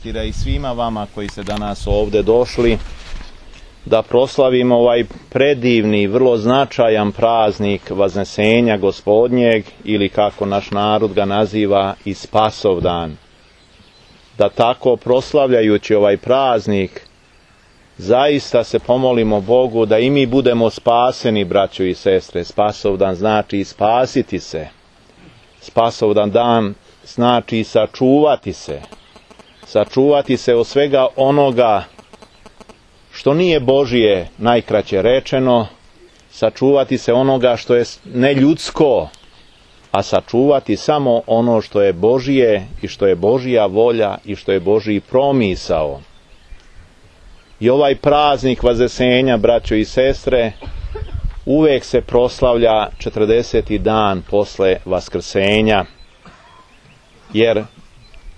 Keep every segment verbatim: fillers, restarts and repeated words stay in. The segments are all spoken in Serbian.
I svima vama koji ste danas ovdje došli da proslavimo ovaj predivni, vrlo značajan praznik Vaznesenja Gospodnjeg, ili kako naš narod ga naziva i Spasovdan. Da tako proslavljajući ovaj praznik zaista se pomolimo Bogu da i mi budemo spaseni, braćo i sestre. Spasovdan znači spasiti se. Spasovdan dan znači sačuvati se. Sačuvati se od svega onoga što nije Božije, najkraće rečeno, sačuvati se onoga što je neljudsko, a sačuvati samo ono što je Božije i što je Božija volja i što je Božji promisao. I ovaj praznik Vaznesenja, braćo i sestre, uvek se proslavlja četrdeseti dan posle Vaskrsenja, jer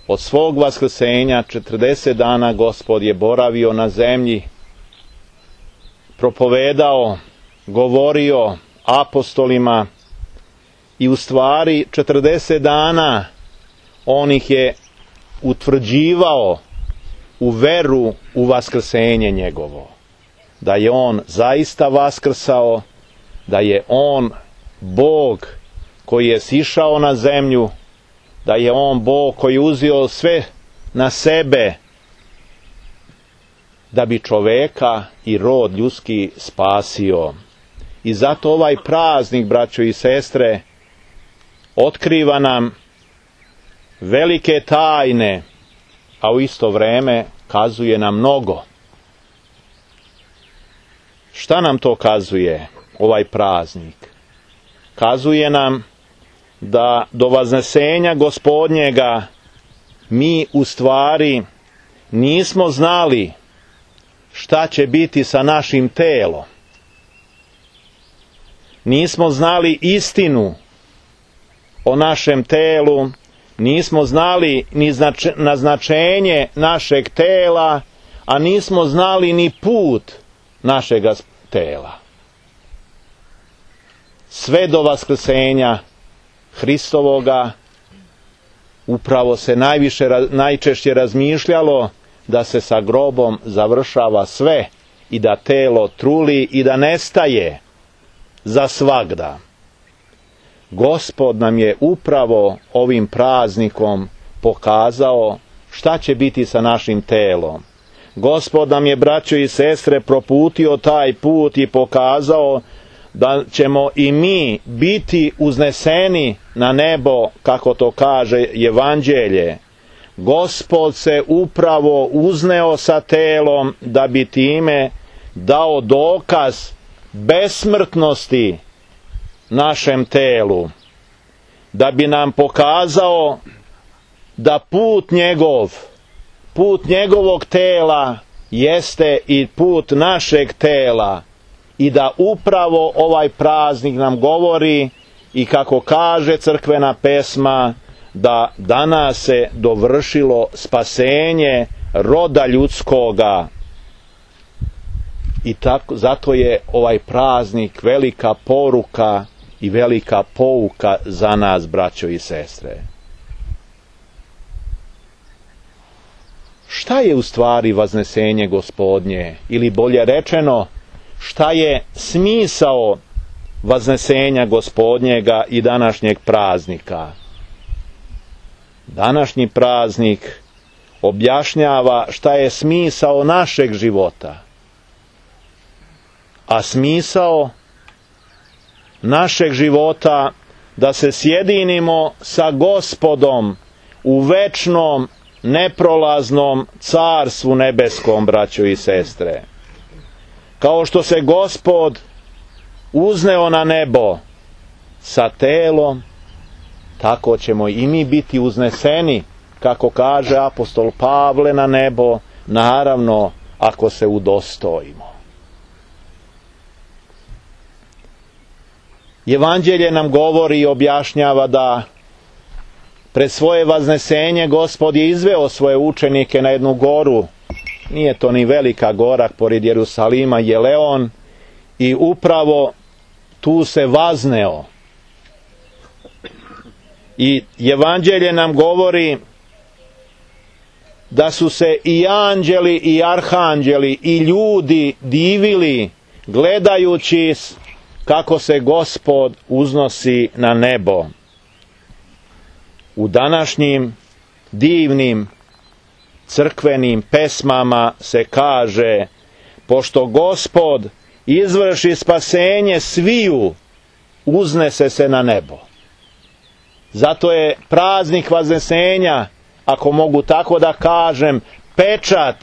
od svog Vaskrsenja četrdeset dana Gospod je boravio na zemlji, propovedao, govorio apostolima i u stvari četrdeset dana on ih je utvrđivao u veru u Vaskrsenje njegovo. Da je on zaista vaskrsao, da je on Bog koji je sišao na zemlju, da je on Bog koji je uzeo sve na sebe da bi čoveka i rod ljudski spasio. I zato ovaj praznik, braćo i sestre, otkriva nam velike tajne, a u isto vreme kazuje nam mnogo. Šta nam to kazuje ovaj praznik? Kazuje nam da do Vaznesenja Gospodnjega mi u stvari nismo znali šta će biti sa našim telom. Nismo znali istinu o našem telu, nismo znali ni naznačenje našeg tela, a nismo znali ni put našega tela. Sve do Vaskrsenja Hristovoga upravo se najviše, najčešće razmišljalo da se sa grobom završava sve i da telo truli i da nestaje za svagda. Gospod nam je upravo ovim praznikom pokazao šta će biti sa našim telom. Gospod nam je, braćo i sestre, proputio taj put i pokazao da ćemo i mi biti uzneseni na nebo, kako to kaže Evanđelje. Gospod se upravo uzneo sa telom da bi time dao dokaz besmrtnosti našem telu, da bi nam pokazao da put njegov, put njegovog tela jeste i put našeg tela, i da upravo ovaj praznik nam govori, i kako kaže crkvena pesma, da danas se dovršilo spasenje roda ljudskoga. I tako, zato je ovaj praznik velika poruka i velika pouka za nas, braćo i sestre. Šta je u stvari Vaznesenje Gospodnje? Ili bolje rečeno, šta je smisao Vaznesenja Gospodnjega i današnjeg praznika? Današnji praznik objašnjava šta je smisao našeg života. A smisao našeg života da se sjedinimo sa Gospodom u večnom, neprolaznom carstvu nebeskom, braćo i sestre. Kao što se Gospod uzneo na nebo sa telom, tako ćemo i mi biti uzneseni, kako kaže apostol Pavle, na nebo, naravno ako se udostojimo. Evanđelje nam govori i objašnjava da pred svoje Vaznesenje Gospod je izveo svoje učenike na jednu goru. Nije to ni velika gora, pored Jerusalima je Leon, i upravo tu se vazneo. I Evanđelje nam govori da su se i anđeli i arhanđeli i ljudi divili gledajući kako se Gospod uznosi na nebo. U današnjim divnim crkvenim pesmama se kaže: pošto Gospod izvrši spasenje sviju, uznese se na nebo. Zato je praznik Vaznesenja, ako mogu tako da kažem, pečat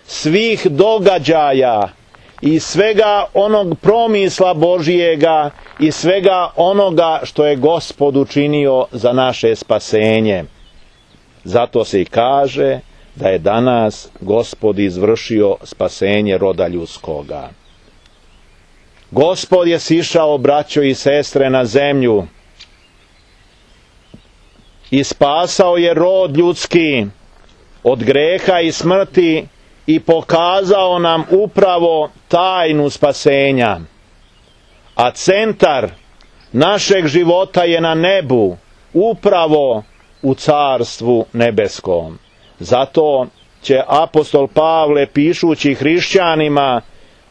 svih događaja i svega onog promisla Božijega i svega onoga što je Gospod učinio za naše spasenje. Zato se i kaže da je danas Gospod izvršio spasenje roda ljudskoga. Gospod je sišao, braćo i sestre, na zemlju i spasao je rod ljudski od greha i smrti i pokazao nam upravo tajnu spasenja. A centar našeg života je na nebu, upravo u Carstvu nebeskom. Zato će apostol Pavle, pišući hrišćanima,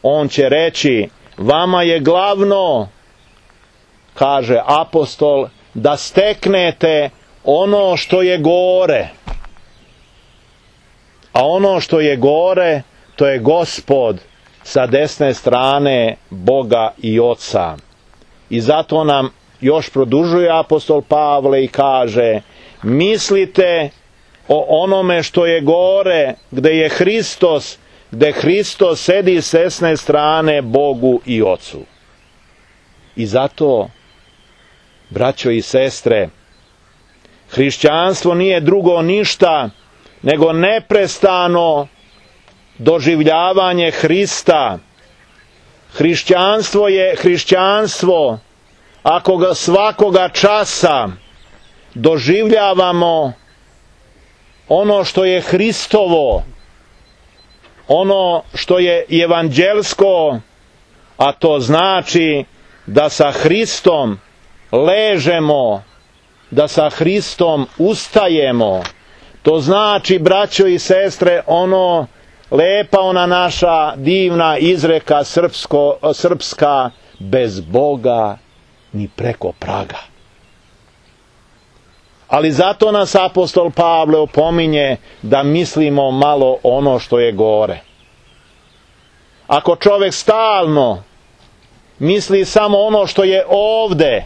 on će reći: vama je glavno, kaže apostol, da steknete ono što je gore. A ono što je gore, to je Gospod sa desne strane Boga i Oca. I zato nam još produžuje apostol Pavle i kaže: mislite o onome što je gore, gde je Hristos, gde Hristos sedi s desne strane Bogu i Ocu. I zato, braćo i sestre, hrišćanstvo nije drugo ništa nego neprestano doživljavanje Hrista. Hrišćanstvo je hrišćanstvo ako ga svakoga časa doživljavamo ono što je Hristovo, ono što je evanđelsko, a to znači da sa Hristom ležemo, da sa Hristom ustajemo. To znači, braćo i sestre, ono lepa ona naša divna izreka srpsko, srpska: bez Boga ni preko praga. Ali zato nas apostol Pavle opominje da mislimo malo ono što je gore. Ako čovjek stalno misli samo ono što je ovde,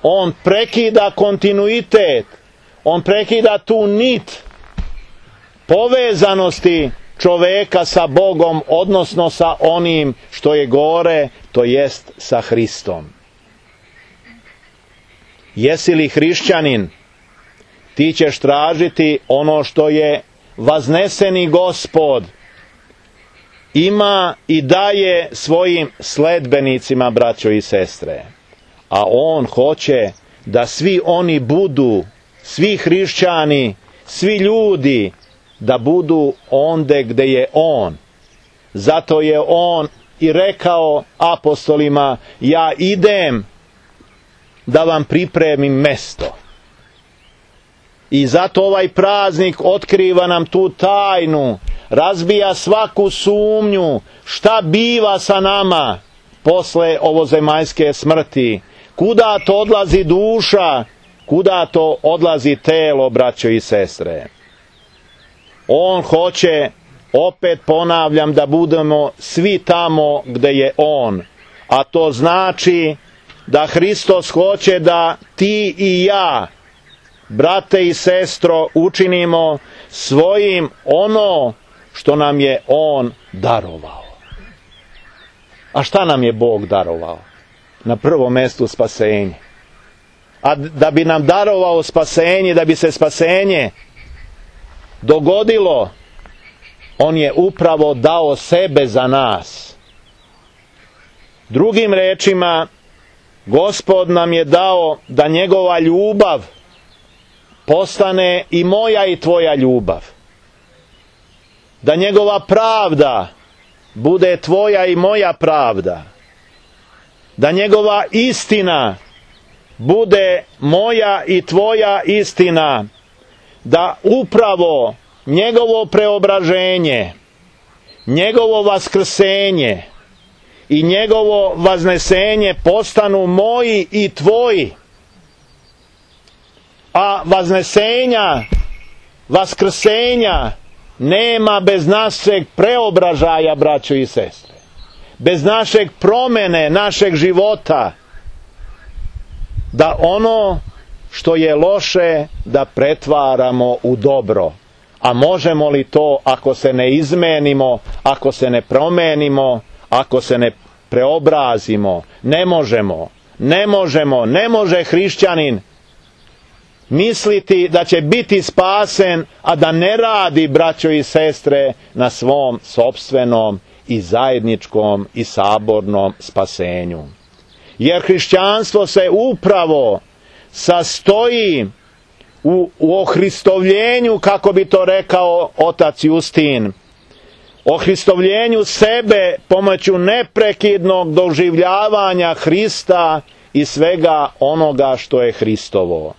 on prekida kontinuitet, on prekida tu nit povezanosti čoveka sa Bogom, odnosno sa onim što je gore, to jest sa Hristom. Jesi li hrišćanin, ti ćeš tražiti ono što je vazneseni Gospod ima i daje svojim sledbenicima, braćo i sestre. A on hoće da svi oni budu, svi hrišćani, svi ljudi, da budu onde gde je on. Zato je on i rekao apostolima: ja idem da vam pripremim mesto. I zato ovaj praznik otkriva nam tu tajnu, razbija svaku sumnju šta biva sa nama posle ovozemaljske smrti. Kuda to odlazi duša, kuda to odlazi telo, braćo i sestre. On hoće, opet ponavljam, da budemo svi tamo gde je on. A to znači da Hristos hoće da ti i ja, brate i sestro, učinimo svojim ono što nam je on darovao. A šta nam je Bog darovao? Na prvom mjestu spasenje. A da bi nam darovao spasenje, da bi se spasenje dogodilo, on je upravo dao sebe za nas. Drugim rečima, Gospod nam je dao da njegova ljubav postane i moja i tvoja ljubav. Da njegova pravda bude tvoja i moja pravda. Da njegova istina bude moja i tvoja istina. Da upravo njegovo preobraženje, njegovo vaskrsenje i njegovo vaznesenje postanu moji i tvoji. A vaznesenja, vaskrsenja nema bez našeg preobražaja, braćo i sestre. Bez našeg promene, našeg života. Da ono što je loše da pretvaramo u dobro. A možemo li to ako se ne izmenimo, ako se ne promenimo, ako se ne preobrazimo? Ne možemo. Ne možemo. Ne može hrišćanin misliti da će biti spasen, a da ne radi, braćo i sestre, na svom sopstvenom i zajedničkom i sabornom spasenju. Jer hrišćanstvo se upravo sastoji u, u ohristovljenju, kako bi to rekao otac Justin, ohristovljenju sebe pomoću neprekidnog doživljavanja Hrista i svega onoga što je Hristovo.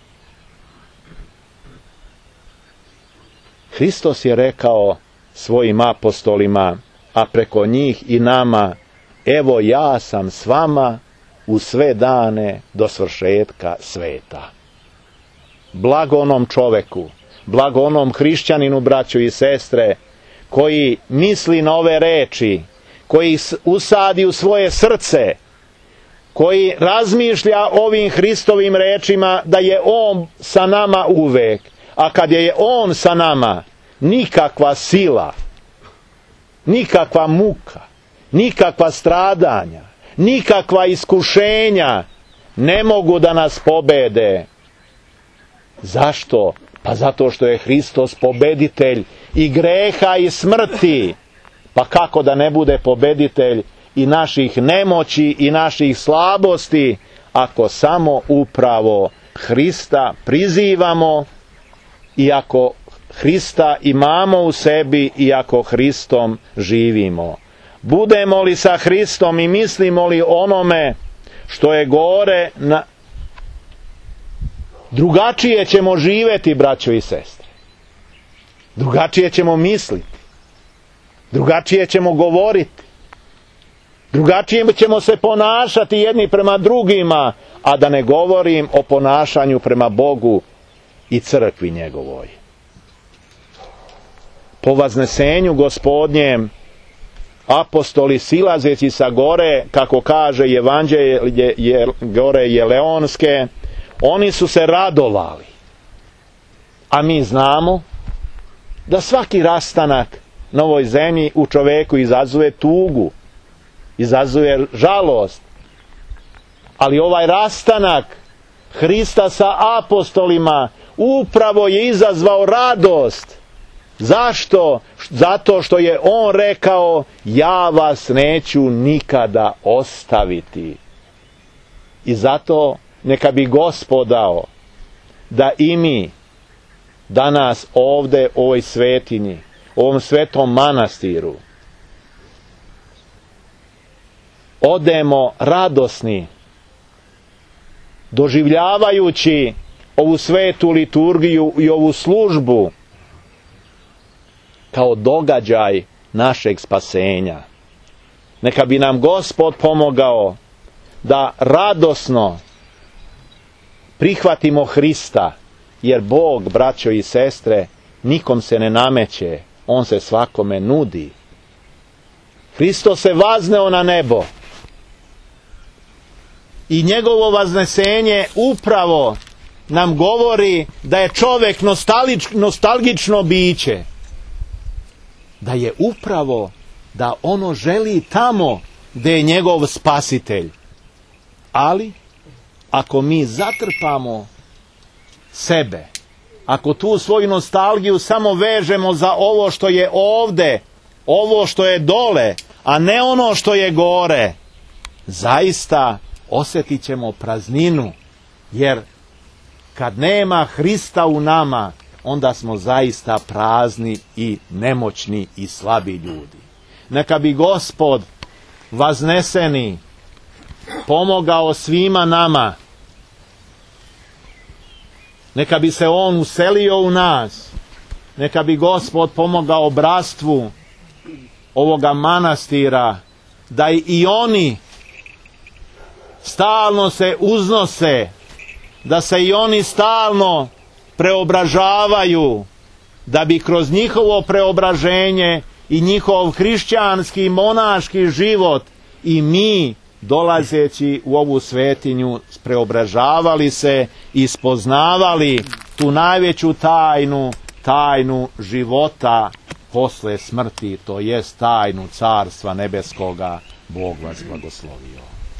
Hristos je rekao svojim apostolima, a preko njih i nama, evo ja sam s vama u sve dane do svršetka sveta. Blago onom čoveku, blago onom hrišćaninu, braćo i sestre, koji misli na ove reči, koji usadi u svoje srce, koji razmišlja ovim Hristovim rečima da je on sa nama uvek, a kad je on sa nama, nikakva sila, nikakva muka, nikakva stradanja, nikakva iskušenja ne mogu da nas pobede. Zašto? Pa zato što je Hristos pobeditelj i greha i smrti. Pa kako da ne bude pobeditelj i naših nemoći i naših slabosti, ako samo upravo Hrista prizivamo i ako Hrista imamo u sebi i ako Hristom živimo. Budemo li sa Hristom i mislimo li onome što je gore, na... drugačije ćemo živjeti, braćo i sestre. Drugačije ćemo misliti. Drugačije ćemo govoriti. Drugačije ćemo se ponašati jedni prema drugima, a da ne govorim o ponašanju prema Bogu i crkvi njegovoj. Po vaznesenju Gospodnjem, apostoli silazeći sa gore, kako kaže Evanđelje je, gore Jeleonske, oni su se radovali. A mi znamo da svaki rastanak na ovoj zemlji u čoveku izazuje tugu, izazuje žalost. Ali ovaj rastanak Hrista sa apostolima upravo je izazvao radost. Zašto? Zato što je on rekao, ja vas neću nikada ostaviti. I zato neka bi Gospod dao da i mi danas ovde u ovoj svetinji, u ovom svetom manastiru, odemo radosni, doživljavajući ovu svetu liturgiju i ovu službu kao događaj našeg spasenja. Neka bi nam Gospod pomogao da radosno prihvatimo Hrista, jer Bog, braćo i sestre, nikom se ne nameće, on se svakome nudi. Hristos se vazneo na nebo i njegovo vaznesenje upravo nam govori da je čovjek nostalgično biće, da je upravo da ono želi tamo gdje je njegov spasitelj. Ali ako mi zatrpamo sebe, ako tu svoju nostalgiju samo vežemo za ovo što je ovde, ovo što je dole, a ne ono što je gore, zaista osjetit ćemo prazninu, jer kad nema Hrista u nama, onda smo zaista prazni i nemoćni i slabi ljudi. Neka bi Gospod vazneseni pomogao svima nama. Neka bi se on uselio u nas neka bi Gospod pomogao bratstvu ovoga manastira, da i oni stalno se uznose, da se i oni stalno preobražavaju, da bi kroz njihovo preobraženje i njihov hrišćanski monaški život i mi, dolazeći u ovu svetinju, preobražavali se i spoznavali tu najveću tajnu, tajnu života posle smrti, to jest tajnu Carstva nebeskoga. Bog vas blagoslovio.